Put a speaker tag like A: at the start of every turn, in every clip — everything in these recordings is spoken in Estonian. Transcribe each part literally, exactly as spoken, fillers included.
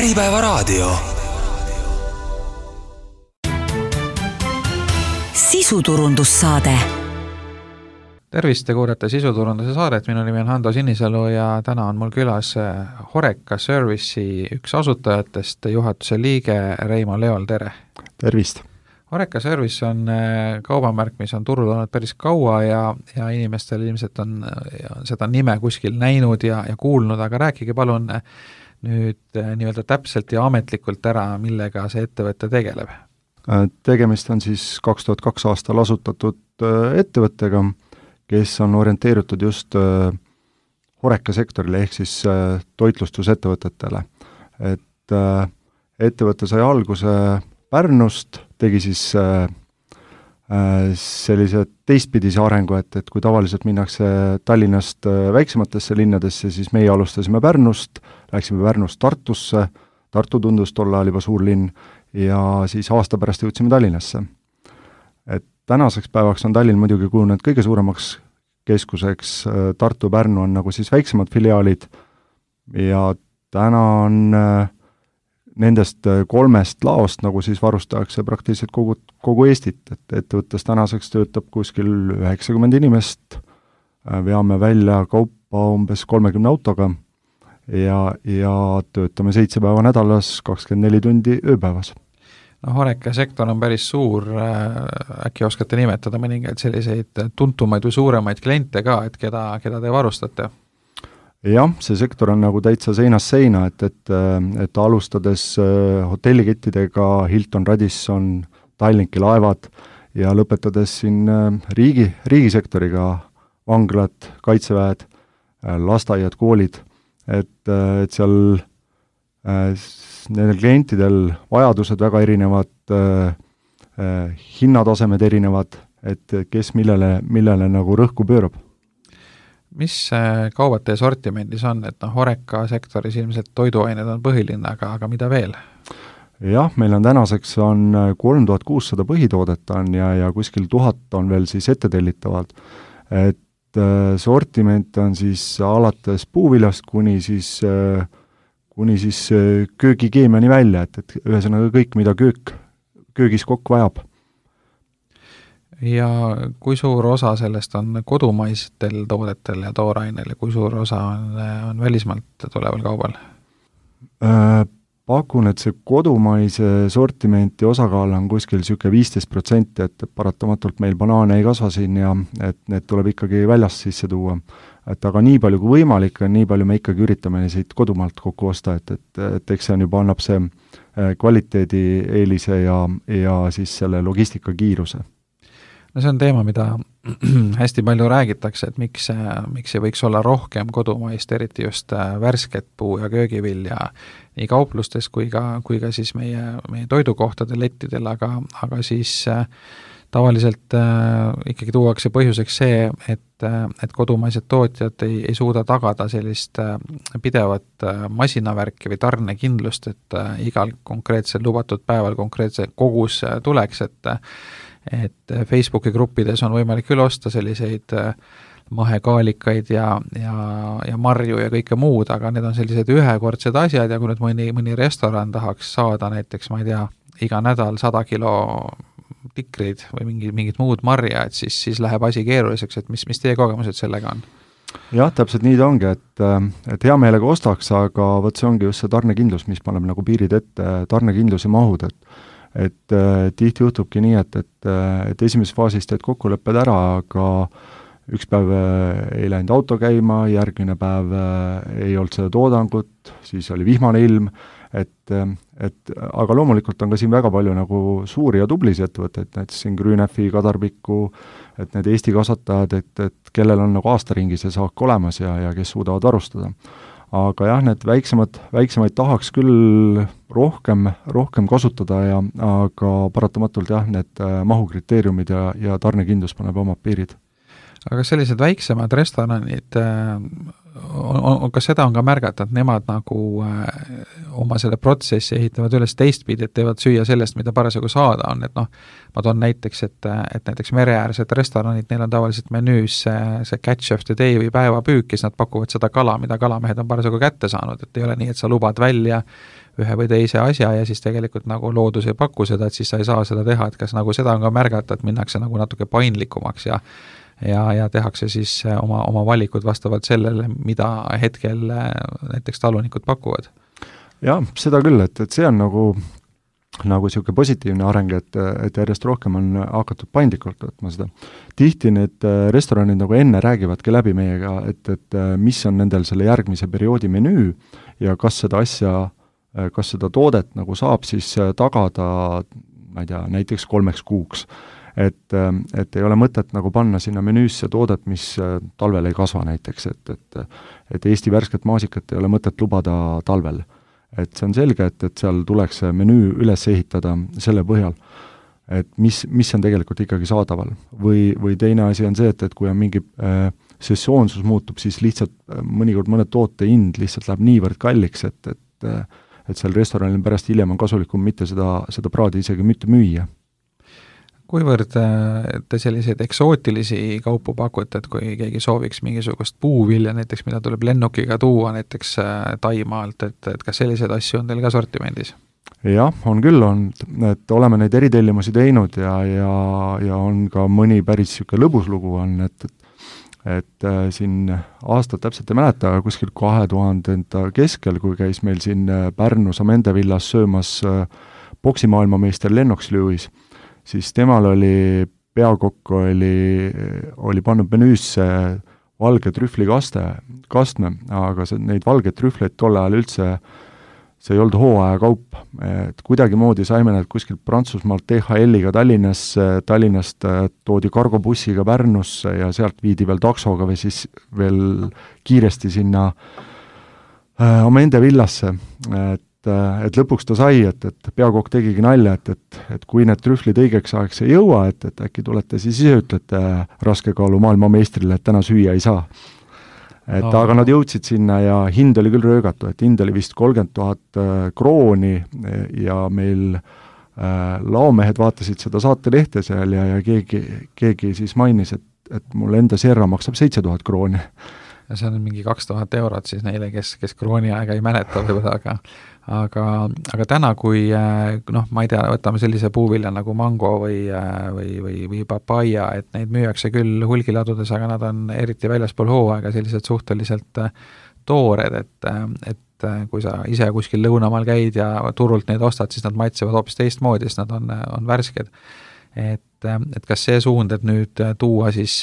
A: Äripäevaraadio. Sisuturundussaade.
B: Tervist, te kuulete sisuturunduse saadet, minu nimi on Hando Sinisalu ja täna on mul külas Horeca Service'i üks asutajatest, juhatuse liige Reimo Leol, tere!
C: Tervist!
B: Horeca Service on kaubamärk, mis on turul olnud päris kaua ja, ja inimestel ilmselt on seda nime kuskil näinud ja, ja kuulnud, aga rääkige palun nüüd nii-öelda täpselt ja ametlikult ära, millega see ettevõte tegeleb.
C: Tegemist on siis kaks tuhat kaks aastal asutatud ettevõttega, kes on orienteeritud just Horeca sektorile ehk siis toitlustusettevõtetele. Et ettevõte sai alguse Pärnust, tegi siis äh, sellise teistpidise arengu, et, et kui tavaliselt minnakse Tallinnast äh, väiksematesse linnadesse, siis meie alustasime Pärnust, läksime Pärnust Tartusse, Tartu tundus tolle ajal juba suur linn, ja siis aasta pärast jõudsime Tallinnasse. Et tänaseks päevaks on Tallinn muidugi kujunenud kõige suuremaks keskuseks, Tartu, Pärnu on nagu siis väiksemad filiaalid, ja täna on äh, nendest kolmest laost nagu siis varustatakse praktiliselt kogu, kogu Eestit, et ettevõttes tänaseks töötab kuskil üheksakümmend inimest, veame välja kaupa umbes kolmekümne autoga ja, ja töötame seitse päeva nädalas, kakskümmend neli tundi ööpäevas.
B: No, Horeca sektor on päris suur, äkki oskate nimetada mõningaid selliseid tuntumaid või suuremaid kliente ka, et keda, keda te varustate?
C: Jah, see sektor on nagu täitsa seinast seina, et, et, et alustades hotellikettidega Hilton, Radisson, Tallinki laevad ja lõpetades siin riigi, riigisektoriga vanglad, kaitseväed, lasteaiad, koolid, et, et seal nendel klientidel vajadused väga erinevad, hinnatasemed erinevad, et kes millele, millele nagu rõhku pöörab.
B: Mis kaubad teie sortimendis on, et noh, Horeca sektoris ilmselt toiduained on põhiline, aga, aga mida veel?
C: Jah, meil on tänaseks on kolm tuhat kuussada põhitoodet on ja, ja kuskil tuhat on veel siis ettetellitavad. Et äh, sortiment on siis alates puuviljast kuni siis, äh, kuni siis äh, köögikeemiani välja, et, et ühesõnaga kõik, mida köök, köögis kokk vajab.
B: Ja kui suur osa sellest on kodumaistel toodetel ja toorainel ja kui suur osa on, on välismaalt tuleval kaubal?
C: Pakun, et see kodumaise sortimenti osakaal on kuskil siuke viisteist protsenti, et paratamatult meil banaane ei kasva siin ja et need tuleb ikkagi väljast sisse tuua. Et aga nii palju kui võimalik on, nii palju me ikkagi üritame siit kodumaalt kokku osta, et, et, et eks see on juba annab see kvaliteedi eelise ja, ja siis selle logistika kiiruse.
B: No see on teema, mida hästi palju räägitakse, et miks, miks ei võiks olla rohkem kodumaist, eriti just värsket puu- ja köögivilja nii kauplustes kui ka, kui ka siis meie, meie toidukohtade lettidel, aga, aga siis äh, tavaliselt äh, ikkagi tuuakse põhjuseks see, et, et kodumaised tootjad ei, ei suuda tagada sellist äh, pidevat äh, masinavärki või tarnekindlust, et äh, igal konkreetsel lubatud päeval konkreetse kogus äh, tuleks, et äh, et Facebooki gruppides on võimalik küll osta selliseid mahekaalikaid ja, ja, ja marju ja kõike muud, aga need on sellised ühekordsed asjad ja kui nüüd mõni, mõni restoran tahaks saada näiteks, ma ei tea, iga nädal sada kilo tikreid või mingi, mingit muud marja, et siis, siis läheb asi keeruliseks, et mis, mis teie kogemused sellega on?
C: Jah, täpselt nii ta ongi, et, et hea meelega ostaks, aga võt see ongi just see tarnekindlus, mis paneb nagu piirid ette, tarnekindlus ja mahud, et et äh, tihti juhtubki nii, et, et, et esimeses faasis teed kokkulepped ära, aga üks päev äh, ei läinud auto käima, järgmine päev äh, ei olnud seda toodangut, siis oli vihmane ilm, et, et aga loomulikult on ka siin väga palju nagu suuri ja tublisi ettevõtteid, näiteks siin Grünefi, Kadarbiku, et need Eesti kasvatajad, et, et kellel on nagu aastaringi see saak olemas ja, ja kes suudavad varustada. Aga jah, need väiksemad, väiksemaid tahaks küll rohkem, rohkem kasutada, ja, aga paratamatult jah, need mahukriteeriumid ja, ja tarnekindlus paneb omad piirid.
B: Aga sellised väiksemad restoranid, on, on, kas seda on ka märgata, et nemad nagu oma selle protsessi ehitavad üles teistpidi, et teevad süüa sellest, mida parasjagu saada on, et noh, ma toon näiteks, et, et näiteks mereäärsed restoranid, neil on tavaliselt menüüs see, see catch of the day või päevapüük, siis nad pakuvad seda kala, mida kalamehed on parasjagu kätte saanud, et ei ole nii, et sa lubad välja ühe või teise asja ja siis tegelikult nagu loodus ei paku seda, et siis sa ei saa seda teha, et kas nagu seda on ka märgata, et minnakse nagu natuke paindlikumaks ja ja, ja tehakse siis oma, oma valikud vastavalt sellele, mida hetkel näiteks talunikud pakuvad.
C: Jah, seda küll, et, et see on nagu nagu niisugune positiivne areng, et, et järjest rohkem on hakatud paindlikult võtma seda. Tihti need restoranid nagu enne räägivadki läbi meiega, et, et mis on nendel selle järgmise perioodi menüü ja kas seda asja, kas seda toodet nagu saab siis tagada, ma ei tea, näiteks kolmeks kuuks. Et, et ei ole mõtet nagu panna sinna menüüsse toodet, mis talvel ei kasva näiteks, et, et, et Eesti värsket maasikat ei ole mõtet lubada talvel. Et see on selge, et, et seal tuleks menüü üles ehitada selle põhjal, et mis, mis on tegelikult ikkagi saadaval. Või, või teine asi on see, et, et kui on mingi äh, sessoonsus muutub, siis lihtsalt äh, mõnikord mõne toote hind lihtsalt läheb niivõrd kalliks, et, et, äh, et seal restoranil pärast hiljem on kasulikum mitte seda, seda praadi isegi mitte müüa.
B: Kuivõrd te selliseid eksootilisi kaupu pakute, et kui keegi sooviks mingisugust puuvilja näiteks, mida tuleb lennukiga tuua näiteks Taimaalt, et, et kas selliseid asju on teil ka sortimendis?
C: Jah, on küll, on, et oleme neid eritellimusi teinud ja, ja, ja on ka mõni päris siuke lõbus lugu on, et, et, et siin aastat täpselt ei mäleta, kuskil kahe tuhandenda keskel, kui käis meil siin Pärnus Amende villas söömas poksimaailmameister Lennox Lewis, siis temal oli, peakokk oli, oli pannud menüüsse valge trühvlikaste, kastme, aga see, neid valgeid trühvleid tol ajal üldse, see ei olnud hooaja kaup. Et kuidagimoodi saime need kuskilt Prantsusmaalt T H L-iga Tallinnasse, Tallinnast toodi kargobussiga Pärnusse ja sealt viidi veel taksoga või siis veel kiiresti sinna äh, Amende villasse, et et lõpuks ta sai, et, et peakokk tegigi nalja, et, et, et kui need trühvlid õigeks ajaks ei jõua, et, et äkki tulete siis ise ütlete raskekaalu maailmameistrile, et täna süüa ei saa. Et oh. Aga nad jõudsid sinna ja hind oli küll röögatu, et hind oli vist kolmkümmend tuhat krooni ja meil äh, laomehed vaatasid seda saatelehte seal ja, ja keegi, keegi siis mainis, et, et mul enda serra maksab seitse tuhat krooni.
B: Ja see on mingi kaks tuhat eurot siis neile, kes, kes krooni aega ei mäleta võib-olla, aga aga, aga täna, kui noh, ma ei tea, võtame sellise puuvilja nagu mango või, või, või, või papaia, et neid müüakse küll hulgiladudes, aga nad on eriti väljaspool hooaega sellised suhteliselt toored, et, et kui sa ise kuskil lõunamaal käid ja turult neid ostad, siis nad maitsevad hoopis teistmoodi, sest nad on, on värsked. Et, et kas see suund, et nüüd tuua siis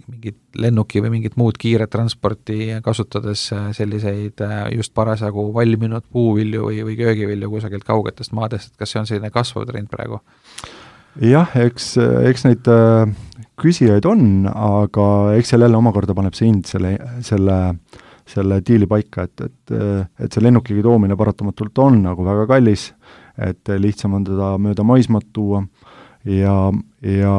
B: mingit lennuki või mingit muud kiiret transporti kasutades selliseid just parasjagu valminud puuvilju või, või köögivilju kusagilt kaugetest maadest, et kas see on selline kasvav trend praegu?
C: Jah, eks, eks neid küsijaid on, aga eks seal jälle omakorda paneb see hind selle, selle, selle diili paika, et, et, et see lennukigi toomine paratamatult on nagu väga kallis, et lihtsam on teda mööda maismaad tuua ja, ja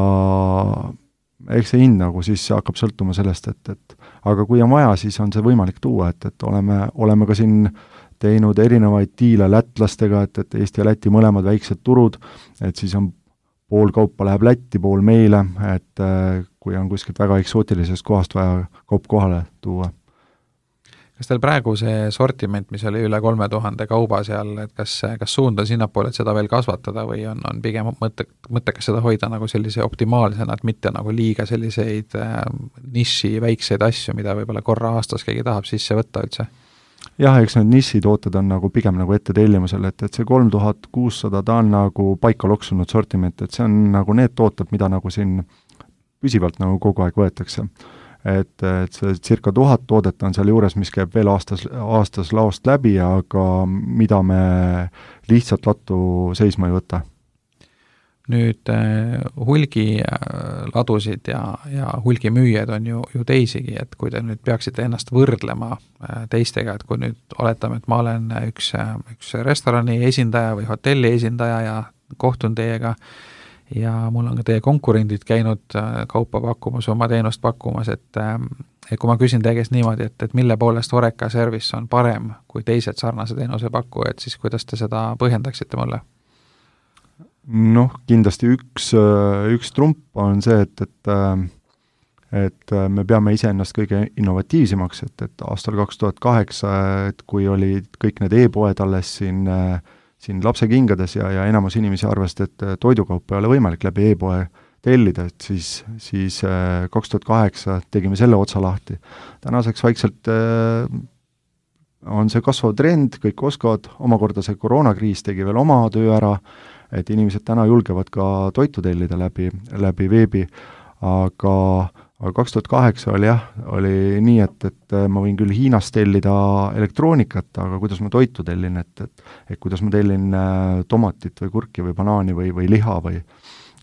C: eks see hind nagu siis hakkab sõltuma sellest, et, et aga kui on vaja, siis on see võimalik tuua, et, et oleme, oleme ka siin teinud erinevaid diile lätlastega, et, et Eesti ja Läti mõlemad väiksed turud, et siis on pool kaupa läheb Lätti, pool meile, et kui on kuskilt väga eksootilisest kohast vaja kaup kohale tuua.
B: Kas teil praegu see sortiment, mis oli üle kolme tuhande kauba seal, et kas, kas suund on sinnapoole, et seda veel kasvatada või on, on pigem mõtte, mõttekas seda hoida nagu sellise optimaalsena, et mitte nagu liiga selliseid äh, niši väikseid asju, mida võib-olla korra aastas keegi tahab sisse võtta üldse?
C: Jah, eks need nišitooted on nagu pigem nagu ette tellimusel, et, et see kolm tuhat kuussada, ta on nagu paika loksunud sortiment, et see on nagu need tooted, mida nagu siin püsivalt nagu kogu aeg võetakse. Et, et see circa tuhat toodet on seal juures, mis käib veel aastas, aastas laost läbi, aga mida me lihtsalt lattu seisma ei võta.
B: Nüüd hulgiladusid ja, ja hulgimüüjad on ju, ju teisigi, et kui te nüüd peaksite ennast võrdlema teistega, et kui nüüd oletame, et ma olen üks, üks restorani esindaja või hotelli esindaja ja kohtun teiega ja mul on ka teie konkurendid käinud kaupa pakkumas, oma teenust pakkumas, et, et kui ma küsin teie käest niimoodi, et, et mille poolest Horeca Service on parem kui teised sarnase teenuse pakkujad, siis kuidas te seda põhjendaksite mulle?
C: Noh, kindlasti üks, üks trump on see, et, et, et me peame iseennast kõige innovatiivsemaks, et, et aastal kaks tuhat kaheksa, et kui olid kõik need e-poed alles siin, siin lapsekingades ja, ja enamus inimesi arvasid, et toidukaupa ei ole võimalik läbi e-poe tellida, et siis, siis kaks tuhat kaheksa tegime selle otsa lahti. Tänaseks vaikselt on see kasvav trend, kõik oskavad, omakorda see koroonakriis tegi veel oma töö ära, et inimesed täna julgevad ka toitu tellida läbi, läbi veebi, aga, aga kaks tuhat kaheksa oli jah, oli nii, et, et ma võin küll Hiinast tellida elektroonikat, aga kuidas ma toitu tellin, et, et, et kuidas ma tellin tomatit või kurki või banaani või, või liha või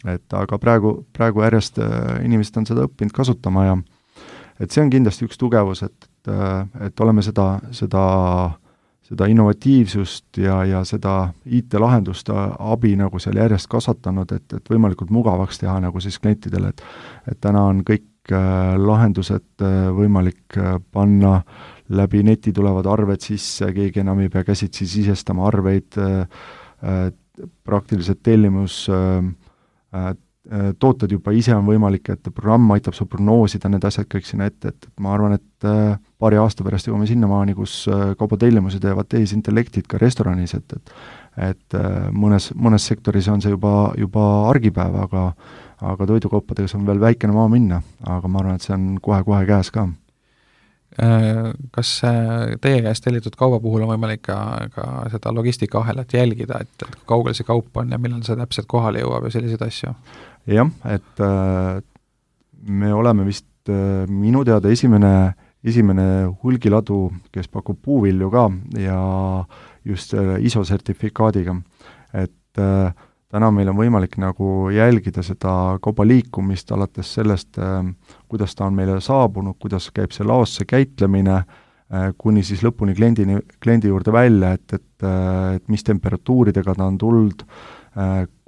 C: et aga praegu, praegu järjest inimesed on seda õppinud kasutama ja et see on kindlasti üks tugevus, et, et, et oleme seda, seda, seda innovatiivsust ja, ja seda I T-lahenduste abi nagu seal järjest kasvatanud, et, et võimalikult mugavaks teha nagu siis klientidele, et, et täna on kõik lahendused võimalik panna läbi neti tulevad arved sisse, keegi enam ei pea käsitsi sisestama arveid, praktiliselt tellimus tooted juba ise on võimalik, et programm aitab sul prognoosida need asjad kõik sinna ette, et ma arvan, et paari aasta pärast jõuame sinnamaani, kus kaubatellimusi teevad tehisintellektid ka restoranis, et, et et mõnes, mõnes sektoris on see juba, juba argipäev, aga aga toidukaupadega on veel väikene maa minna, aga ma arvan, et see on kohe-kohe käes ka.
B: Kas teie käest tellitud kauba puhul on võimalik ka, ka seda logistikaahelat jälgida, et, et kaugel see kaup on ja millal see täpselt kohale jõuab ja selliseid asju?
C: Jah, et äh, me oleme vist äh, minu teada esimene, esimene hulgiladu, kes pakub puuvilju ka ja just äh, I S O-sertifikaadiga, et äh, täna meil on võimalik nagu jälgida seda kauba liikumist alates sellest, kuidas ta on meile saabunud, kuidas käib see laosse käitlemine, kuni siis lõpuni kliendini, kliendi juurde välja, et, et, et mis temperatuuridega ta on tulnud,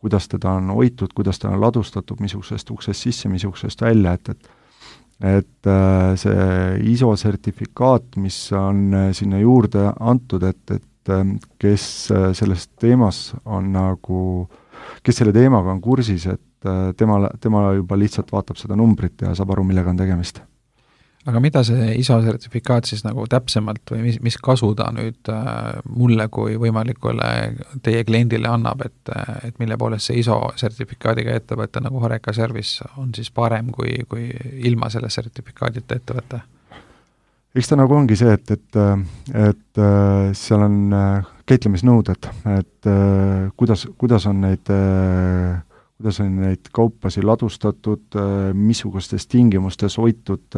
C: kuidas teda on hoitud, kuidas ta on ladustatud, missugusest uksest sisse, missugusest välja, et, et et see I S O-sertifikaat, mis on sinna juurde antud, et, et kes selles teemas on nagu kes selle teemaga on kursis, et tema, tema juba lihtsalt vaatab seda numbrit ja saab aru, millega on tegemist.
B: Aga mida see I S O-sertifikaat siis nagu täpsemalt või mis, mis kasu ta nüüd mulle kui võimalikule teie kliendile annab, et, et mille poolest see I S O-sertifikaadiga ettevõte nagu Horeca Service on siis parem kui, kui ilma selle sertifikaadita ettevõte?
C: Eks ta nagu ongi see, et, et, et seal on käitlemisnõuded, et kuidas, kuidas on neid, kuidas on neid kaupasi ladustatud, missugustes tingimustes hoitud,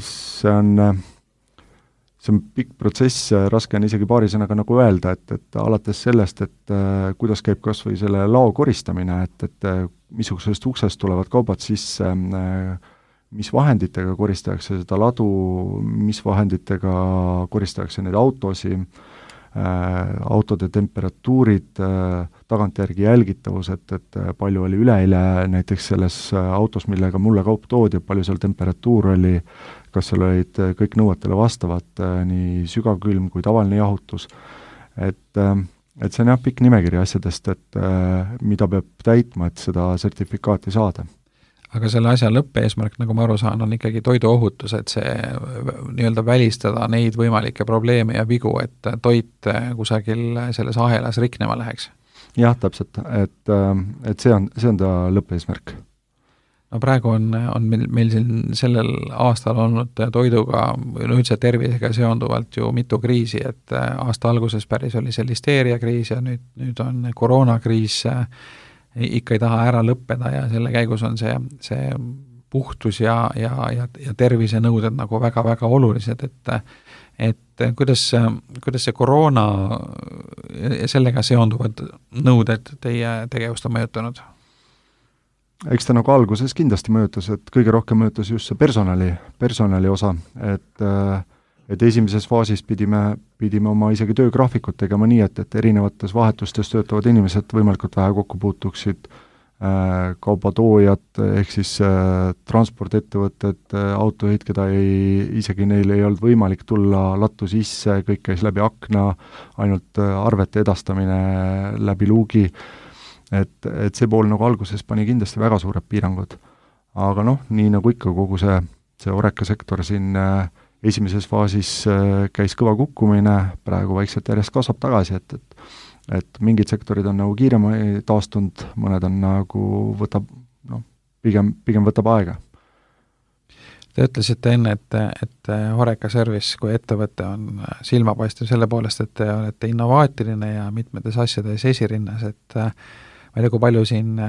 C: see on, see on pikk protsess, raske on isegi paari sõnaga nagu öelda, et, et alates sellest, et kuidas käib kas või selle lao koristamine, et, et missugusest uksest tulevad kaubad sisse, mis vahenditega koristatakse seda ladu, mis vahenditega koristatakse neid autosi, äh, autode temperatuurid, äh, tagantjärgi jälgitavus, et, et palju oli üleeile näiteks selles autos, millega mulle kaup toodi, palju seal temperatuur oli, kas seal olid kõik nõuetele vastavad, äh, nii sügavkülm kui tavaline jahutus. Et, äh, et see on jah pikk nimekiri asjadest, et äh, mida peab täitma, et seda sertifikaati saada.
B: Aga selle asja lõppeesmärk, nagu ma aru saan, on ikkagi toiduohutus, et see nii-öelda välistada neid võimalikke probleeme ja vigu, et toit kusagil selles ahelas riknema läheks.
C: Jah, täpselt, et, et see on, see on ta lõppeesmärk.
B: No praegu on, on meil, meil siin sellel aastal olnud toiduga, no üldse tervisega seonduvalt ju mitu kriisi, et aasta alguses päris oli see listeeriakriis ja nüüd, nüüd on koroonakriis, ikka ei taha ära lõppeda ja selle käigus on see, see puhtus ja, ja, ja, ja tervisenõuded nagu väga-väga olulised, et et kuidas, kuidas see koroona ja sellega seonduvad nõuded teie tegevust on mõjutanud?
C: Eks ta nagu alguses kindlasti mõjutas, et kõige rohkem mõjutas just see personali, personali osa, et et esimeses faasis pidime, pidime oma isegi töögraafikut tegema nii, et, et erinevates vahetustes töötavad inimesed võimalikult vähe kokku puutuksid, äh, kaubatoojad ehk siis äh, transportettevõtted, äh, autojuhid, keda ei, isegi neil ei olnud võimalik tulla lattu sisse, kõik käis läbi akna, ainult äh, arvete edastamine läbi luugi, et, et see pool nagu alguses pani kindlasti väga suured piirangud. aga noh, nii nagu ikka kogu see, see Horeca sektor siin äh, esimeses faasis äh, käis kõva kukkumine, praegu vaikselt järjest kasvab tagasi, et, et et mingid sektorid on nagu kiiremini taastunud, mõned on nagu võtab, noh, pigem, pigem võtab aega.
B: Te ütlesite enne, et, et Horeca Service kui ettevõte on silmapaistev selle poolest, et te olete innovaatiline ja mitmetes asjades esirinnas, et ma ei tea, kui palju siin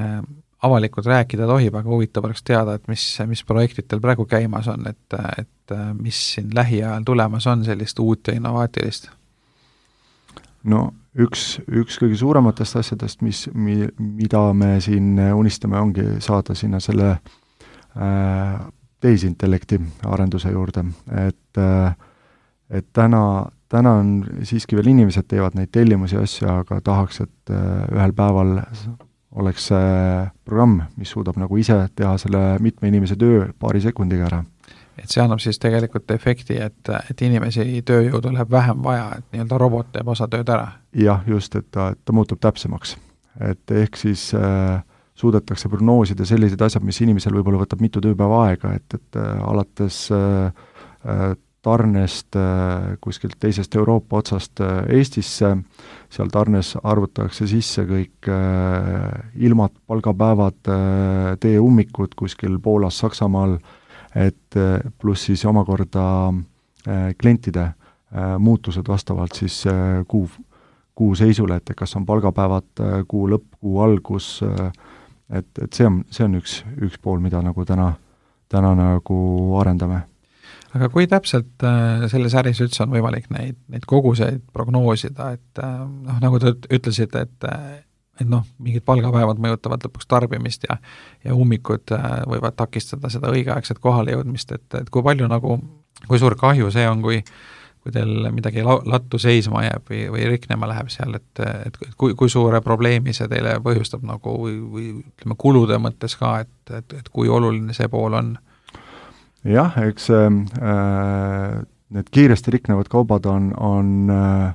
B: avalikult rääkida tohib, aga huvitav oleks teada, et mis, mis projektid teil praegu käimas on, et, et mis siin lähiajal tulemas on sellist uut ja innovaatilist?
C: No üks, üks kõige suurematest asjadest, mis, mi, mida me siin unistame, ongi saada sinna selle äh, tehisintellekti arenduse juurde, et äh, et täna, täna on siiski veel inimesed teevad neid tellimusi asju, aga tahaks, et äh, ühel päeval oleks see programm, mis suudab nagu ise teha selle mitme inimese töö paari sekundiga ära.
B: Et see annab siis tegelikult efekti, et, et inimesi tööjõudu läheb vähem vaja, et nii-öelda robot teeb osa tööd ära.
C: Jah, just, et ta, et ta muutub täpsemaks. Et ehk siis äh, suudetakse prognoosida sellised asjad, mis inimesel võib-olla võtab mitu tööpäeva aega, et, et äh, alates äh, tarnest äh, kuskilt teisest Euroopa otsast äh, Eestisse, seal tarnes arvutatakse sisse kõik äh, ilmad, palgapäevad, äh, teeummikud kuskil Poolas, Saksamaal, et pluss siis omakorda äh, klientide äh, muutused vastavalt siis äh, kuu, kuu seisule, et kas on palgapäevad, äh, kuu lõpp, kuu algus, äh, et, et see on, see on üks, üks pool, mida nagu täna, täna nagu arendame.
B: Aga kui täpselt äh, selles äris üldse on võimalik neid, neid koguseid prognoosida, et äh, noh, nagu te ütlesite, et äh, et noh, mingid palgapäevad mõjutavad lõpuks tarbimist ja, ja ummikud võivad takistada seda õigeaegset kohale jõudmist, et, et kui palju nagu, kui suur kahju see on, kui, kui teil midagi lattu seisma jääb või, või riknema läheb seal, et, et kui, kui suure probleemi see teile põhjustab nagu või, või ütleme kulude mõttes ka, et, et, et kui oluline see pool on?
C: Jah, eks äh, need kiiresti riknevad kaubad on, on äh,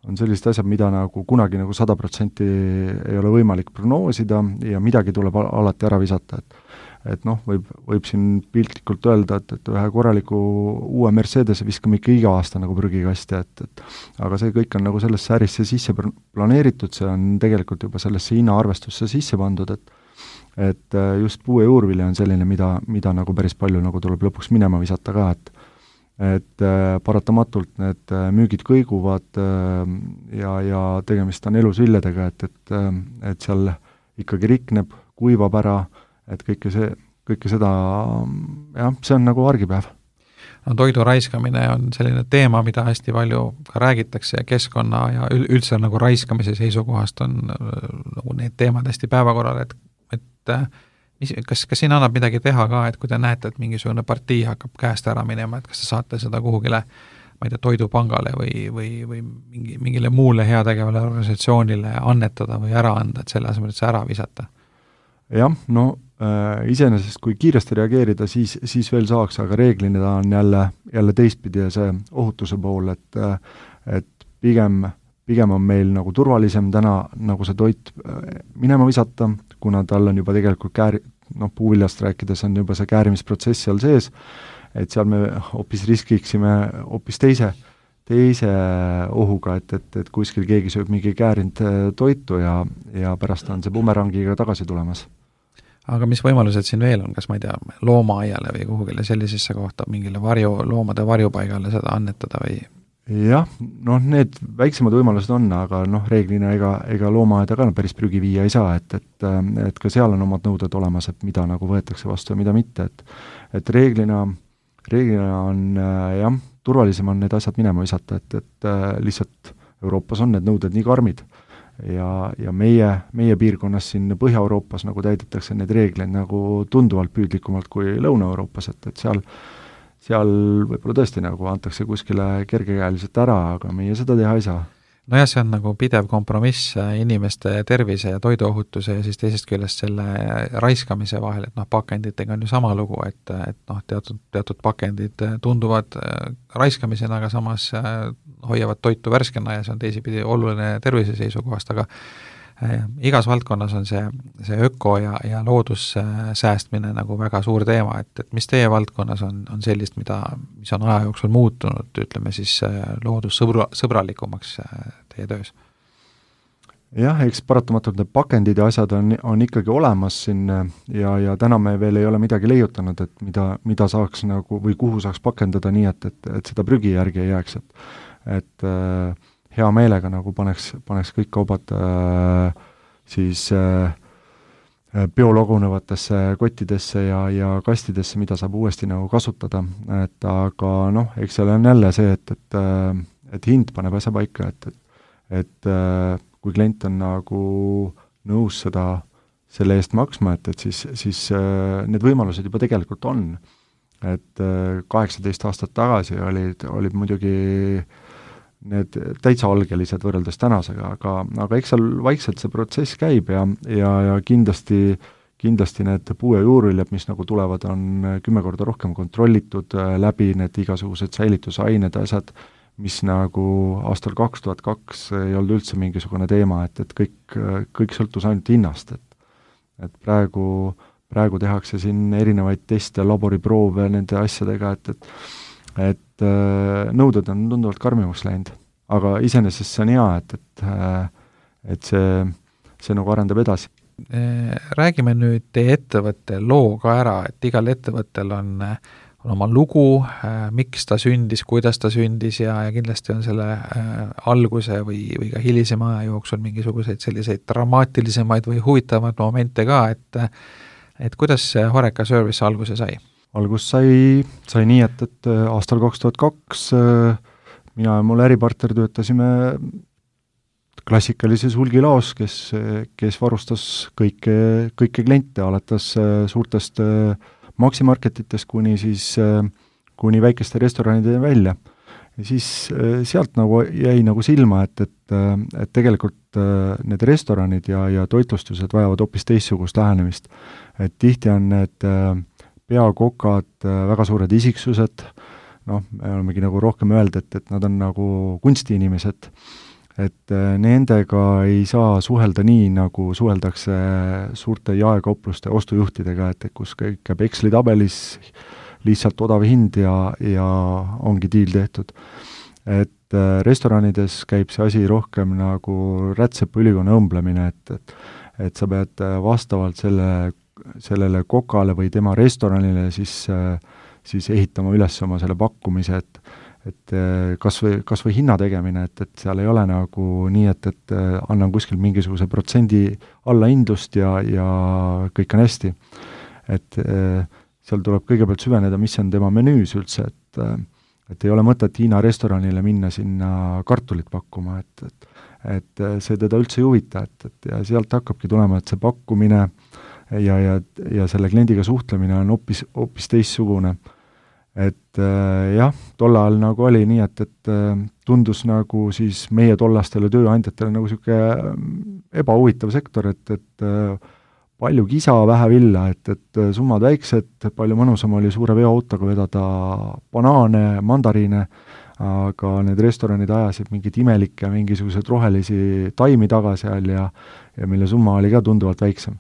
C: on sellised asjad, mida nagu kunagi nagu sada protsenti ei ole võimalik prognoosida ja midagi tuleb alati ära visata, et et noh, võib, võib siin piltlikult öelda, et, et ühe korraliku uue Mercedese viskame ikka iga aasta nagu prügikasti, et, et aga see kõik on nagu sellesse ärisse sisse planeeritud, see on tegelikult juba sellesse hinnaarvestusse sisse pandud, et et just puu- ja juurvilja on selline, mida, mida nagu päris palju nagu tuleb lõpuks minema visata ka, et et äh, paratamatult need äh, müügid kõiguvad äh, ja, ja tegemist on elus viljadega, et, et, äh, et seal ikkagi rikneb, kuivab ära, et kõike see, kõike seda, jah, see on nagu argipäev.
B: No toidu raiskamine on selline teema, mida hästi palju ka räägitakse ja keskkonna ja üldse nagu raiskamise seisukohast on nagu need teemad hästi päevakorral, et, et mis, kas, kas siin annab midagi teha ka, et kui te näete, et mingisugune partii hakkab käest ära minema, et kas te saate seda kuhugile, ma ei tea, toidupangale või, või, või mingi, mingile muule heategevale organisatsioonile annetada või ära anda, et selle asemel, et see ära visata?
C: Jah, no äh, iseenesest kui kiiresti reageerida, siis, siis veel saaks, aga reeglina on jälle, jälle teistpidi see ohutuse pool, et, et pigem, pigem on meil nagu turvalisem täna nagu see toit minema visata, kuna tal on juba tegelikult kääri-, noh, puuviljast rääkides on juba see käärimisprotsess seal sees, et seal me hoopis riskiksime hoopis teise, teise ohuga, et, et, et kuskil keegi sööb mingi käärinud toitu ja, ja pärast on see bumerangiga tagasi tulemas.
B: Aga mis võimalused siin veel on, kas ma ei tea, loomaaiale või kuhugile sellisesse kohta mingile varju, loomade varjupaigale seda annetada või?
C: Jah, noh, need väiksemad võimalused on, aga noh, reeglina ega, ega loomaaeda ka päris prügi viia ei saa, et, et, et ka seal on omad nõuded olemas, et mida nagu võetakse vastu ja mida mitte, et et reeglina, reeglina on jah, turvalisem on need asjad minema visata, et, et lihtsalt Euroopas on need nõuded nii karmid ja, ja meie, meie piirkonnas siin Põhja-Euroopas nagu täidetakse need reegleid nagu tunduvalt püüdlikumalt kui Lõuna-Euroopas, et, et seal seal võib-olla tõesti nagu antakse kuskile kergekäeliselt ära, aga meie seda teha ei saa.
B: Nojah, see on nagu pidev kompromiss inimeste tervise ja toiduohutuse ja siis teisest küljest selle raiskamise vahel, et noh, pakenditega on ju sama lugu, et, et noh, teatud, teatud pakendid tunduvad raiskamisena, aga samas hoiavad toitu värskena ja see on teisipidi oluline tervise seisukohast, aga igas valdkonnas on see, see öko ja, ja loodussäästmine nagu väga suur teema, et, et mis teie valdkonnas on, on sellist, mida, mis on aja jooksul muutunud, ütleme siis loodussõbra, sõbralikumaks teie töös?
C: Jah, eks paratamatult need pakendid ja asjad on, on ikkagi olemas siin ja, ja täna me veel ei ole midagi leiutanud, et mida, mida saaks nagu või kuhu saaks pakendada nii, et, et, et seda prügi järgi ei jääks, et et äh, hea meelega nagu paneks, paneks kõik kaubad äh, siis äh, biologunevatesse kottidesse ja, ja kastidesse, mida saab uuesti nagu kasutada, et aga noh, eks seal on jälle see, et, et, et hind paneb asja paika, et, et, et kui klient on nagu nõus seda selle eest maksma, et, et siis, siis need võimalused juba tegelikult on. Et kaheksateist aastat tagasi olid, olid muidugi need täitsa algelised võrreldes tänasega, aga, aga eks seal vaikselt see protsess käib ja, ja, ja kindlasti, kindlasti need puu- ja juurviljad, mis nagu tulevad, on kümme korda rohkem kontrollitud läbi need igasugused säilitusained, asjad, mis nagu aastal kaks tuhat kaks ei olnud üldse mingisugune teema, et, et kõik, kõik sõltus ainult hinnast, et et praegu, praegu tehakse siin erinevaid teste, laboriproove nende asjadega, et, et et nõuded on tunduvalt karmimaks läinud, aga iseenesest see on hea, et, et, et see, see nagu arendab edasi.
B: Räägime nüüd teie ettevõtte loo ka ära, et igal ettevõttel on, on oma lugu, miks ta sündis, kuidas ta sündis ja, ja kindlasti on selle alguse või, või ka hilisema aja jooksul mingisuguseid selliseid dramaatilisemaid või huvitavaid momente ka, et, et kuidas Horeca Service alguse sai?
C: Algus sai, sai nii, et, et aastal kaks tuhat kaks mina ja mul äripartner töötasime klassikalises hulgilaos, kes, kes varustas kõike, kõike kliente, alates suurtest maksimarketitest kuni siis, kuni väikeste restoranide välja. Ja siis sealt nagu jäi nagu silma, et, et, et tegelikult need restoranid ja, ja toitlustused vajavad hoopis teistsugust lähenemist. Et tihti on need peakokad, väga suured isiksused, noh, me olemegi nagu rohkem öelda, et, et nad on nagu kunstiinimesed, et nendega ei saa suhelda nii, nagu suheldakse suurte jaekaupluste ostujuhtidega, et kus kõik käib Exceli tabelis, lihtsalt odav hind ja, ja ongi diil tehtud. Et restoranides käib see asi rohkem nagu rätsepa ülikonna õmblemine, et, et, et sa pead vastavalt selle sellele kokale või tema restoranile siis, siis ehitama üles oma selle pakkumise, et, et kas või, kas või hinna tegemine, et, et seal ei ole nagu nii, et, et annan kuskil mingisuguse protsendi allahindlust ja, ja kõik on hästi. Et seal tuleb kõigepealt süveneda, mis on tema menüüs üldse, et, et ei ole mõtet Hiina restoranile minna sinna kartulit pakkuma, et, et, et see teda üldse ei huvita, et, et ja sealt hakkabki tulema, et see pakkumine ja, ja, ja selle kliendiga suhtlemine on hoopis, hoopis teistsugune. Et äh, jah, tol ajal nagu oli nii, et, et äh, tundus nagu siis meie tollastele tööandjatele nagu niisugune ebahuvitav sektor, et, et äh, palju kisa, vähe villa, et, et summad väiksed, palju mõnusam oli suure veoautoga vedada banaane, mandariine, aga need restoranid ajasid mingid imelikke, mingisugused rohelisi taimi taga seal ja, ja mille summa oli ka tunduvalt väiksem.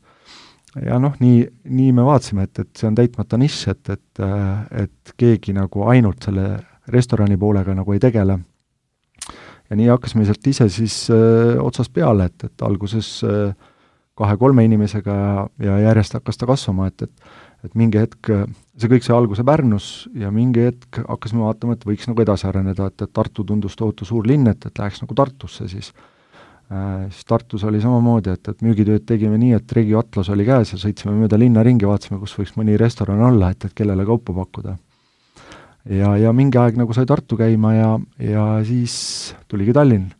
C: Ja noh, nii, nii me vaatasime, et, et see on täitmata nišš, et, et, et keegi nagu ainult selle restorani poolega nagu ei tegele. Ja nii hakkasime sealt ise siis öö, otsast peale, et, et alguses öö, kahe-kolme inimesega ja, ja järjest hakkas ta kasvama, et, et, et mingi hetk, see kõik sai alguse Pärnus ja mingi hetk hakkasime vaatama, et võiks nagu edasi areneda, et, et Tartu tundus tohutu suur linn, et, et läheks nagu Tartusse siis. Äh, siis Tartus oli samamoodi, et, et müügitööd tegime nii, et Regio Atlas oli käes ja sõitsime mööda linna ringi, vaatasime, kus võiks mõni restoran olla, et, et kellele kaupa pakkuda. Ja, ja mingi aeg nagu sai Tartu käima ja, ja siis tuligi Tallinn.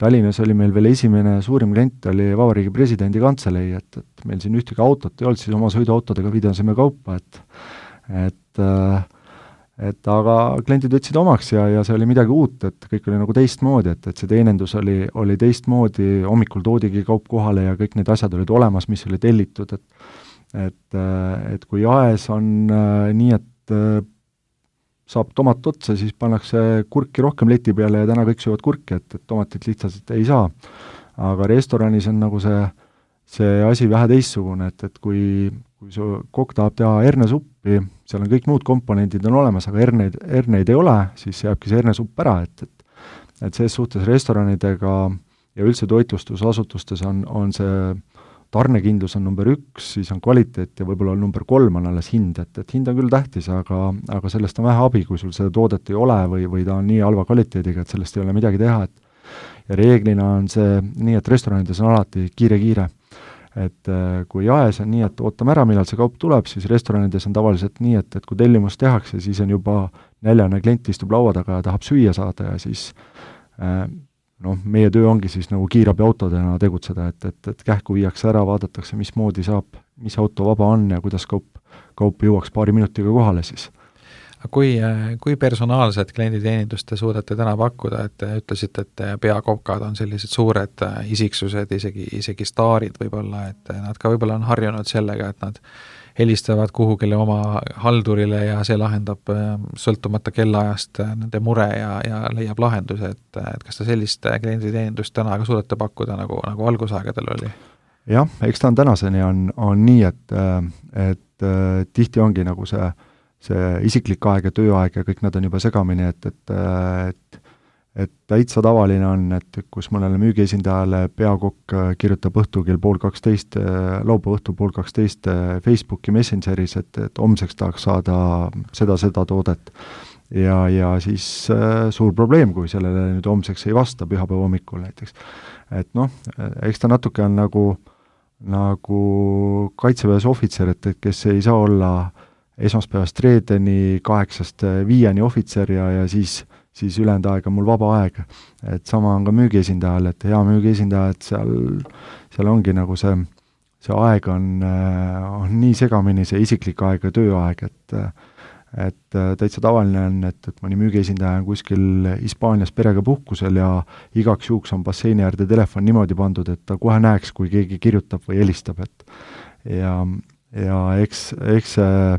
C: Tallinnas oli meil veel esimene suurim klient, oli Vabariigi presidendi kantselei, et, et meil siin ühtegi autot ei olnud, siis oma sõiduautodega pidasime kaupa, et et et aga kliendid võtsid omaks ja, ja see oli midagi uut, et kõik oli nagu teistmoodi, et, et see teenindus oli, oli teistmoodi, hommikul toodigi kaup kohale ja kõik need asjad olid olemas, mis oli tellitud, et et, et kui jaes on nii, et saab tomat otsa, siis pannakse kurki rohkem leti peale ja täna kõik söövad kurki, et, et tomatit lihtsalt ei saa. aga restoranis on nagu see, see asi vähe teistsugune, et, et kui, kui su kokk tahab teha hernesuppi, seal on kõik muud komponendid on olemas, aga herneid, herneid ei ole, siis jääbki see hernesupp ära, et, et et selles suhtes restoranidega ja üldse toitlustusasutustes on, on see tarnekindlus on number üks, siis on kvaliteet ja võib-olla number kolm on alles hind, et, et hind on küll tähtis, aga, aga sellest on vähe abi, kui sul seda toodet ei ole või, või ta on nii halva kvaliteediga, et sellest ei ole midagi teha, et ja reeglina on see nii, et restoranides on alati kiire-kiire. Et kui jaes on nii, et ootame ära, millal see kaup tuleb, siis restoranides on tavaliselt nii, et, et kui tellimus tehakse, siis on juba näljane klient istub laua taga ja tahab süüa saada ja siis noh, meie töö ongi siis nagu kiirabiautodena tegutseda, et, et, et kähku viiakse ära, vaadatakse, mismoodi saab, mis auto vaba on ja kuidas kaup, kaup jõuaks paari minutiga kohale siis.
B: Kui, kui personaalset klienditeenindust te suudate täna pakkuda, et te ütlesite, et peakokad on sellised suured isiksused, isegi, isegi staarid võib-olla, et nad ka võib-olla on harjunud sellega, et nad helistavad kuhugile oma haldurile ja see lahendab sõltumata kellaajast nende mure ja, ja leiab lahenduse, et, et kas te sellist klienditeenindust täna ka suudate pakkuda, nagu, nagu algusaegadel oli?
C: Jah, eks ta on tänaseni on, on nii, et, et tihti ongi nagu see see isiklik aeg ja tööaeg ja kõik nad on juba segamini, et, et, et, et täitsa tavaline on, et kus mõnele müügiesindajale peakokk kirjutab õhtul kell pool kaksteist, laupäeva õhtul pool kaksteist Facebooki Messengeris, et, et homseks tahaks saada seda, seda toodet. Ja, ja siis äh, suur probleem, kui sellele nüüd homseks ei vasta pühapäeva hommikul näiteks. Et noh, eks ta natuke on nagu, nagu kaitseväes ohvitser, et, et kes ei saa olla esmaspäevast reedeni kaheksast viieni ohvitser ja, ja siis, siis ülejäänud aeg on mul vaba aeg. Et sama on ka müügiesindajal, et hea müügiesindaja, et seal, seal ongi nagu see, see aeg on, on nii segamini, see isiklik aeg ja tööaeg, et, et täitsa tavaline on, et, et mõni müügiesindaja on kuskil Hispaanias perega puhkusel ja igaks juhuks on basseini äärde telefon niimoodi pandud, et ta kohe näeks, kui keegi kirjutab või helistab, et ja, ja eks, eks see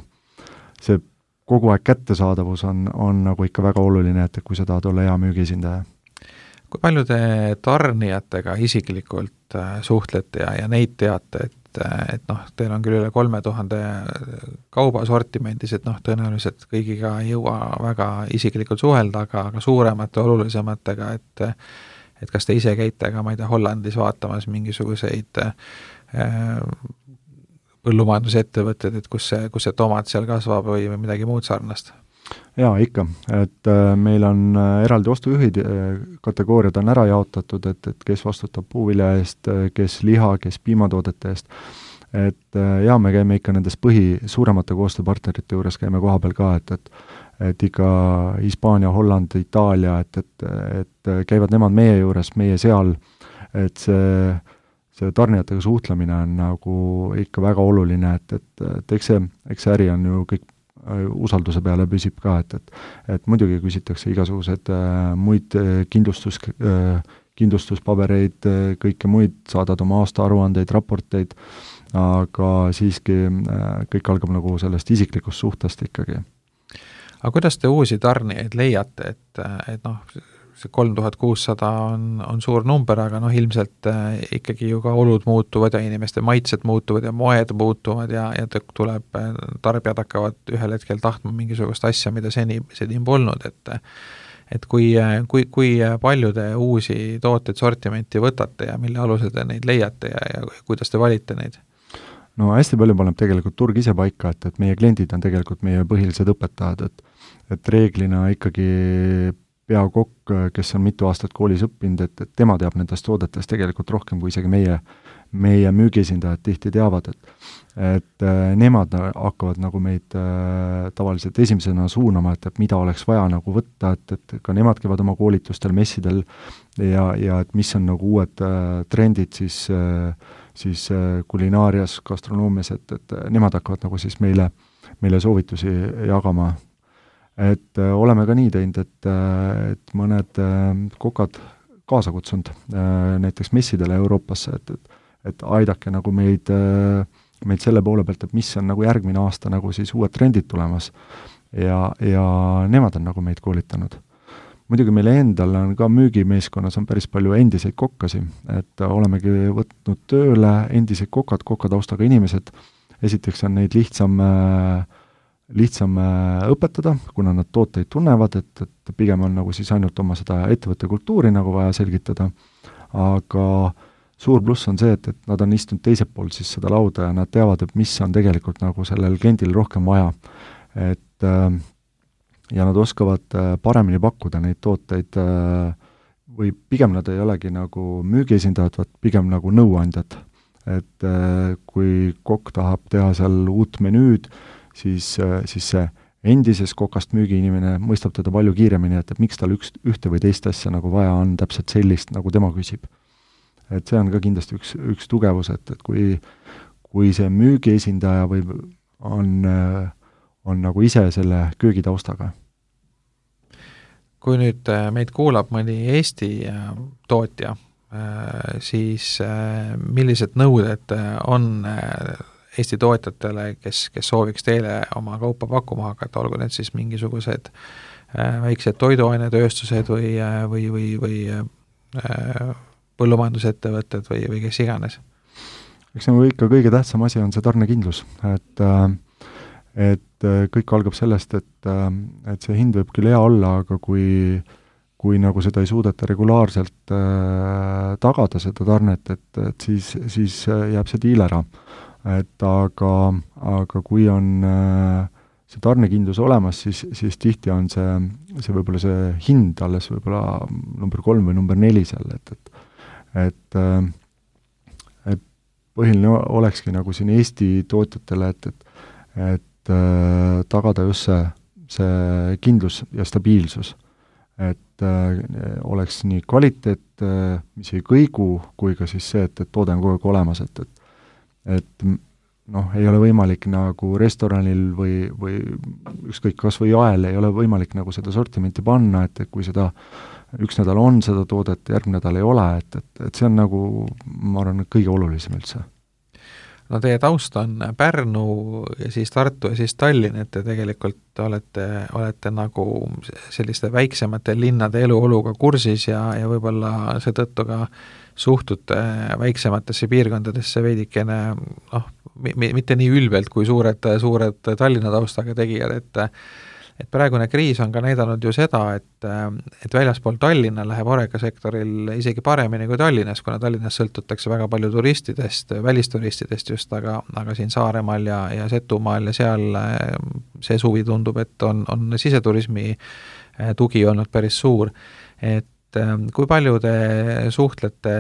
C: see kogu aeg kättesaadavus on, on nagu ikka väga oluline, et kui sa tahad olla hea müügiesindaja.
B: Kui palju te tarnijatega isiklikult suhtlete ja, ja neid teate, et, et noh, teil on küll üle kolme tuhande kaubasortimendis, et noh, tõenäoliselt kõigiga ei jõua väga isiklikult suhelda, aga, aga suuremate, olulisematega, et et kas te ise käite ka, ma ei tea, Hollandis vaatamas mingisuguseid äh, põllumajandusettevõtted, et kus see, kus see tomat seal kasvab või midagi muud sarnast?
C: Jaa, ikka. Et äh, meil on äh, eraldi ostujuhid, äh, kategooriad on ära jaotatud, et, et kes vastutab puuvilja eest, kes liha, kes piimatoodete eest. Et äh, jaa, me käime ikka nendes põhi suuremate koostööpartnerite juures, käime koha peal ka, et, et, et ikka Hispaania, Holland, Itaalia, et, et, et käivad nemad meie juures, meie seal, et see see tarnijatega suhtlemine on nagu ikka väga oluline, et, et, et eks see, eks see äri on ju kõik usalduse peale püsib ka, et, et, et muidugi küsitakse igasugused äh, muid kindlustus, äh, kindlustuspabereid, kõike muid, saadad oma aastaaruandeid, raporteid, aga siiski äh, kõik algab nagu sellest isiklikust suhtest ikkagi.
B: Aga kuidas te uusi tarnijaid leiate, et, et noh, see kolm tuhat kuussada on, on suur number, aga noh, ilmselt äh, ikkagi ju ka olud muutuvad ja inimeste maitsed muutuvad ja moed muutuvad ja, ja tuleb, tarbijad hakkavad ühel hetkel tahtma mingisugust asja, mida seni, seni polnud, et et kui, kui, kui palju te uusi tooteid sortimenti võtate ja mille alusel te neid leiate ja, ja kuidas te valite neid?
C: No hästi palju paneb tegelikult turg ise paika, et, et meie kliendid on tegelikult meie põhilised õpetajad, et, et reeglina ikkagi peakokk, kes on mitu aastat koolis õppinud, et, et tema teab nendest toodetest tegelikult rohkem, kui isegi meie, meie müügiesindajad tihti teavad, et et äh, nemad hakkavad nagu meid äh, tavaliselt esimesena suunama, et, et mida oleks vaja nagu võtta, et, et ka nemad käivad oma koolitustel, messidel ja, ja et mis on nagu uued äh, trendid siis, äh, siis äh, kulinaarias, gastronoomias, et, et nemad hakkavad nagu siis meile, meile soovitusi jagama. Et äh, oleme ka nii teinud, et, äh, et mõned äh, kokad kaasa kutsunud äh, näiteks messidele Euroopasse, et, et, et aidake nagu meid, äh, meid selle poole pealt, et mis on nagu järgmine aasta nagu siis uued trendid tulemas ja, ja nemad on nagu meid koolitanud. muidugi meil endal on ka müügimeeskonnas on päris palju endiseid kokkasi, et olemegi võtnud tööle endised kokad, kokataustaga inimesed, esiteks on neid lihtsam, lihtsam õpetada, kuna nad tooteid tunnevad, et, et pigem on nagu siis ainult oma seda ettevõtte kultuuri nagu vaja selgitada, aga suur pluss on see, et, et nad on istunud teiselt poolt siis seda lauda ja nad teavad, et mis on tegelikult nagu sellel kliendil rohkem vaja. Et ja nad oskavad paremini pakkuda neid tooteid või pigem nad ei olegi nagu müügiesindajad, vaid pigem nagu nõuandjad. Et kui kokk tahab teha seal uut menüüd, siis, siis see endises kokast müügiinimene mõistab teda palju kiiremini, et, et miks tal üks, ühte või teist asja nagu vaja on täpselt sellist, nagu tema küsib. Et see on ka kindlasti üks, üks tugevus, et, et kui, kui see müügiesindaja või on, on nagu ise selle köögitaustaga.
B: Kui nüüd meid kuulab mõni Eesti tootja, siis millised nõuded on Eesti tootjatele, kes, kes sooviks teile oma kaupa pakkuma hakata, olgu need siis mingisugused väiksed toiduainetööstused või, või, või, või põllumajandusettevõtted või, või kes iganes? Eks
C: nagu ikka kõige tähtsam asi on see tarnekindlus, et et kõik algab sellest, et, et see hind võib küll hea olla, aga kui, kui nagu seda ei suudeta regulaarselt äh, tagada seda tarnet, et, et siis, siis jääb see diil ära. Et aga, aga kui on äh, see tarnekindlus olemas, siis, siis tihti on see, see võib-olla see hind alles võib-olla number kolm või number neli seal, et, et et, et põhiline olekski nagu siin Eesti tootjatele, et, et, et tagada just see, see kindlus ja stabiilsus. Et äh, oleks nii kvaliteet, mis ei kõigu, kui ka siis see, et, et toode on kogu aeg olemas, et, et, et noh, ei ole võimalik nagu restoranil või, või ükskõik kas või jael ei ole võimalik nagu seda sortimenti panna, et, et kui seda üks nädal on seda toodet, järgmine nädal ei ole, et, et, et see on nagu, ma arvan, kõige olulisem üldse.
B: No teie taust on Pärnu ja siis Tartu ja siis Tallinn, et te tegelikult olete, olete nagu selliste väiksemate linnade eluoluga kursis ja, ja võib-olla seetõttu ka suhtute väiksematesse piirkondadesse veidikene, noh, mitte nii ülbelt kui suured, suured Tallinna taustaga tegijad, et et praegune kriis on ka näidanud ju seda, et, et väljaspool Tallinna läheb horekasektoril isegi paremini kui Tallinnas, kuna Tallinnas sõltutakse väga palju turistidest, välisturistidest just, aga, aga siin Saaremaal ja, ja Setumaal ja seal see suvi tundub, et on, on siseturismi tugi olnud päris suur. Et kui palju te suhtlete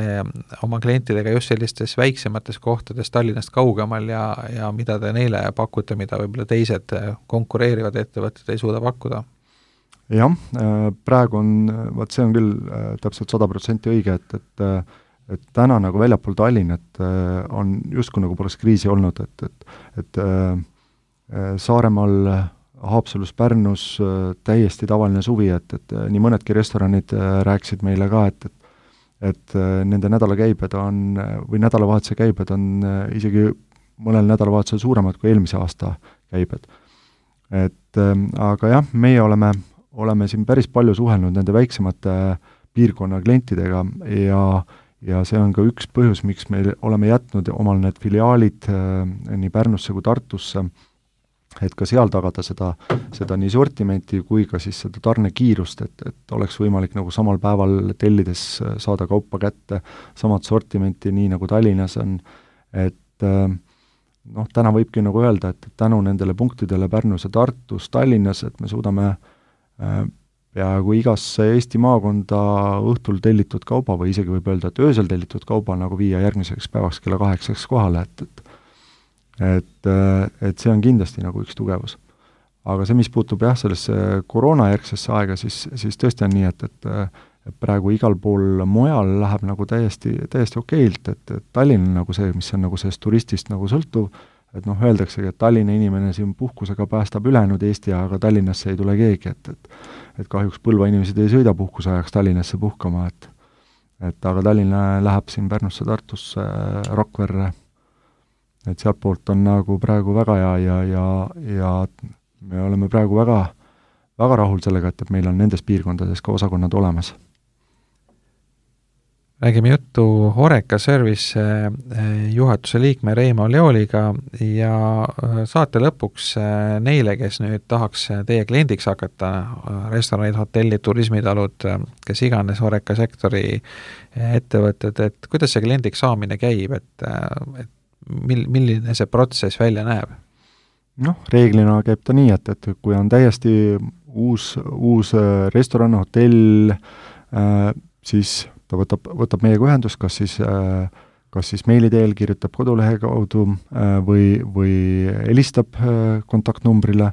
B: oma klientidega just sellistes väiksemates kohtades Tallinnast kaugemal ja, ja mida te neile pakute, mida võib-olla teised konkureerivad ettevõtted ei suuda pakkuda?
C: Jah, praegu on, vaat see on küll täpselt sada protsenti õige, et, et, et täna nagu väljapool Tallinnat on justkui nagu poleks kriisi olnud, et, et, et Saaremaal Haapsalus, Pärnus täiesti tavaline suvi, et, et nii mõnedki restoranid rääkisid meile ka, et, et, et nende nädalakäibed on, või nädalavahetuse käibed on isegi mõnel nädalavahetusel suuremad kui eelmise aasta käibed. Et aga jah, meie oleme, oleme siin päris palju suhelnud nende väiksemate piirkonna klientidega ja, ja see on ka üks põhjus, miks me oleme jätnud omal need filiaalid nii Pärnusse kui Tartusse, et ka seal tagada seda, seda nii sortimenti kui ka siis seda tarnekiirust, et, et oleks võimalik nagu samal päeval tellides saada kaupa kätte, samad sortimenti, nii nagu Tallinnas on, et noh, täna võibki nagu öelda, et tänu nendele punktidele Pärnus ja Tartus, Tallinnas, et me suudame peaaegu igasse Eesti maakonda õhtul tellitud kauba või isegi võib öelda, et öösel tellitud kauba nagu viia järgmiseks päevaks kella kaheksaks kohale, et, et et, et see on kindlasti nagu üks tugevus. Aga see, mis puutub jah, sellesse koroonajärgsesse aega, siis, siis tõesti on nii, et, et praegu igal pool mujal läheb nagu täiesti, täiesti okeilt, et, et Tallinn on nagu see, mis on nagu sellest turistist nagu sõltuv, et noh, öeldaksegi, et Tallinna inimene siin puhkusega päästab ülejäänud Eesti, aga Tallinnasse ei tule keegi, et, et, et kahjuks Põlva inimesed ei sõida puhkuse ajaks Tallinnasse puhkama, et, et aga Tallinna läheb siin Pärnusse, Tartusse, Rakverre, et sealt poolt on nagu praegu väga hea ja, ja, ja me oleme praegu väga, väga rahul sellega, et, et meil on nendes piirkondades ka osakonnad olemas.
B: Räägime juttu Horeca Service juhatuse liikme Reimo Leoliga ja saate lõpuks neile, kes nüüd tahaks teie kliendiks hakata, restoranid, hotellid, turismitalud, kes iganes Horeca sektori ettevõtted, et kuidas see kliendiks saamine käib, et, et mil, milline see protsess välja näeb?
C: Noh, reeglina käib ta nii, et, et kui on täiesti uus, uus restoran, hotell, äh, siis ta võtab, võtab meiega ühendust, kas siis, kas siis meili teel, kirjutab kodulehe kaudu või, või helistab kontaktnumbrile,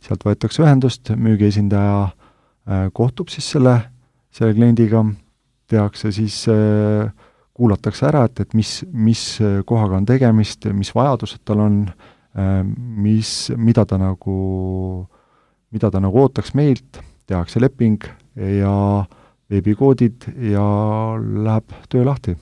C: sealt võetakse ühendust, müügiesindaja kohtub siis selle, selle kliendiga, tehakse siis, kuulatakse ära, et, et mis, mis kohaga on tegemist, mis vajadused tal on, mis, mida ta nagu, mida ta nagu ootaks meilt, tehakse leping ja veebikoodid ja läheb töö lahti.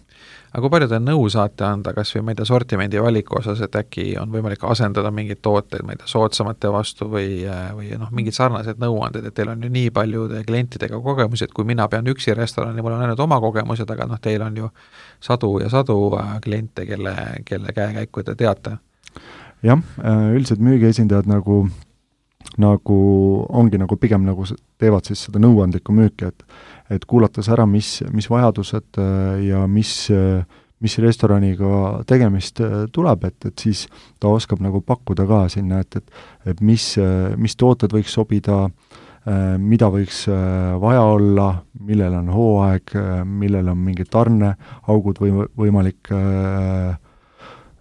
B: Aga kui palju te nõu saate anda, kas või ma ei tea, sortimendi valiku osas, et äkki on võimalik asendada mingeid tooteid, ma ei tea, soodsamate vastu või, või noh, mingid sarnased nõuanded, et teil on ju nii palju klientidega kogemusi, et kui mina pean üksi restorani, mul on ainult oma kogemused, aga noh, teil on ju sadu ja sadu kliente, kelle, kelle käekäiku te teate.
C: Jah, üldiselt müügiesindajad nagu nagu ongi nagu pigem nagu teevad siis seda nõuandlikku müüki, et et kuulates ära, mis, mis vajadused ja mis, mis restoraniga tegemist tuleb, et, et siis ta oskab nagu pakkuda ka sinna, et, et, et mis, mis tooted võiks sobida, mida võiks vaja olla, millel on hooaeg, millel on mingid tarneaugud või võimalik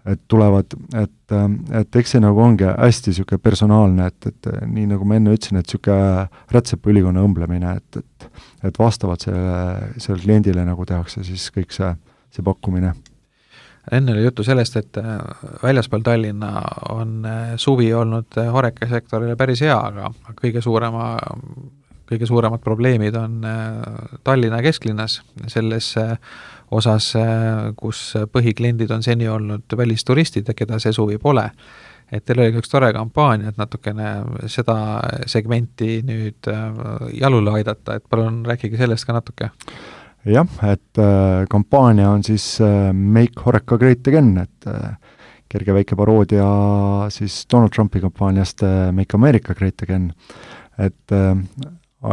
C: et tulevad, et, et eks see nagu ongi hästi niisugune personaalne, et, et nii nagu ma enne ütlesin, et niisugune rätsepaülikonna õmblemine, et, et, et vastavalt selle, selle kliendile nagu tehakse siis kõik see, see pakkumine.
B: Enne oli juttu sellest, et väljaspool Tallinna on suvi olnud Horeca sektorile päris hea, aga kõige suurema kõige suuremad probleemid on Tallinna kesklinnas, selles osas, kus põhikliendid on seni olnud välisturistid ja keda see suvi pole. Et teil oli üks tore kampaania, et natukene seda segmenti nüüd jalule aidata, et palun rääkige sellest ka natuke.
C: Jah, et äh, kampaania on siis äh, Make Horeca Great Again, et äh, kerge väike paroodia siis Donald Trumpi kampaaniast äh, Make America Great Again. Et äh,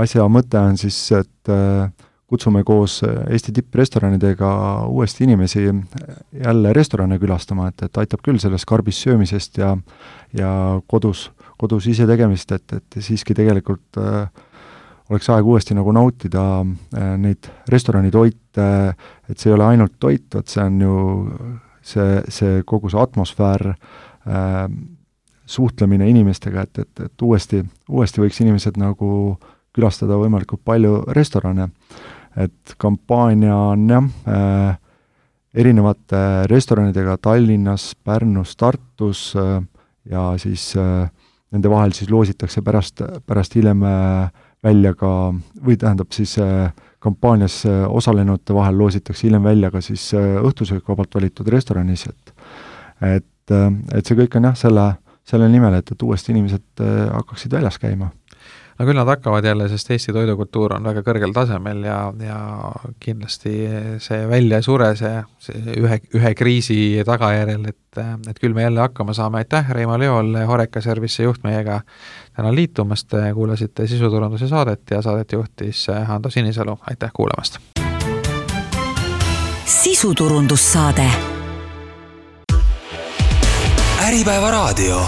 C: asja mõte on siis, et äh, kutsume koos Eesti tipprestoranidega uuesti inimesi jälle restorane külastama, et, et aitab küll sellest karbis söömisest ja, ja kodus, kodus ise tegemist, et, et siiski tegelikult äh, oleks aeg uuesti nagu nautida äh, neid restoranitoite, et see ei ole ainult toit, et see on ju see, see kogu see atmosfäär, äh, suhtlemine inimestega, et, et, et uuesti, uuesti võiks inimesed nagu külastada võimalikult palju restorane. Et kampaania on jah, äh, erinevate restoranidega Tallinnas, Pärnus, Tartus äh, ja siis äh, nende vahel siis loositakse pärast, pärast hiljem äh, välja ka, või tähendab siis äh, kampaanias äh, osalenute vahel loositakse hiljem välja ka siis äh, õhtusöökvabalt valitud restoranis, et et, äh, et see kõik on jah, selle, selle nimel, et, et uuesti inimesed äh, hakkaksid väljas käima.
B: No küll nad hakkavad jälle, sest Eesti toidukultuur on väga kõrgel tasemel ja, ja kindlasti see välja ei sure, see, see ühe, ühe kriisi tagajärjel, et, et küll me jälle hakkama saame. Aitäh, Reimo Leol, Horeca Service juht meiega täna liitumast, kuulasite sisuturunduse saadet ja saadet juhtis Hando Sinisalu. Aitäh kuulamast!
A: Sisuturundussaade.
D: Äripäeva raadio.